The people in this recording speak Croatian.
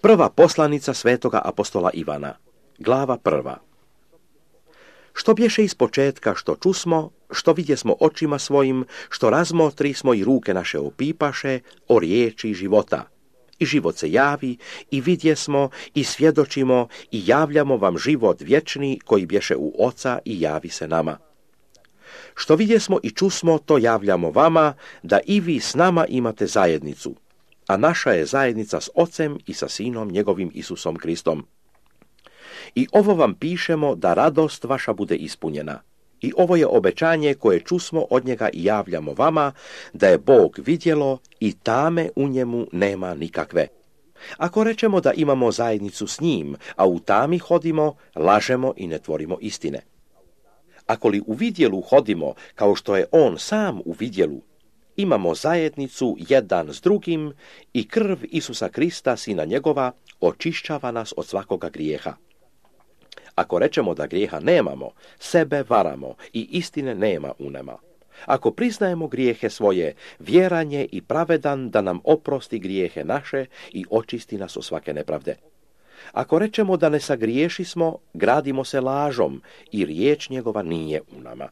Prva poslanica svetoga apostola Ivana, glava 1. Što bješe iz početka, što čusmo, što vidjesmo očima svojim, što razmotrismo i ruke naše opipaše, o riječi života. I život se javi, i vidjesmo, i svjedočimo, i javljamo vam život vječni, koji bješe u Oca i javi se nama. Što vidjesmo i čusmo, to javljamo vama, da i vi s nama imate zajednicu. A naša je zajednica s Ocem i sa Sinom njegovim Isusom Kristom. I ovo vam pišemo da radost vaša bude ispunjena. I ovo je obećanje koje čusmo od njega i javljamo vama, da je Bog vidjelo i tame u njemu nema nikakve. Ako rečemo da imamo zajednicu s njim, a u tami hodimo, lažemo i ne tvorimo istine. Ako li u vidjelu hodimo, kao što je on sam u vidjelu, imamo zajednicu jedan s drugim i krv Isusa Krista, Sina njegova, očišćava nas od svakoga grijeha. Ako rečemo da grijeha nemamo, sebe varamo i istine nema u nama. Ako priznajemo grijehe svoje, vjeran je i pravedan da nam oprosti grijehe naše i očisti nas od svake nepravde. Ako rečemo da ne sagriješismo, gradimo se lažom i riječ njegova nije u nama.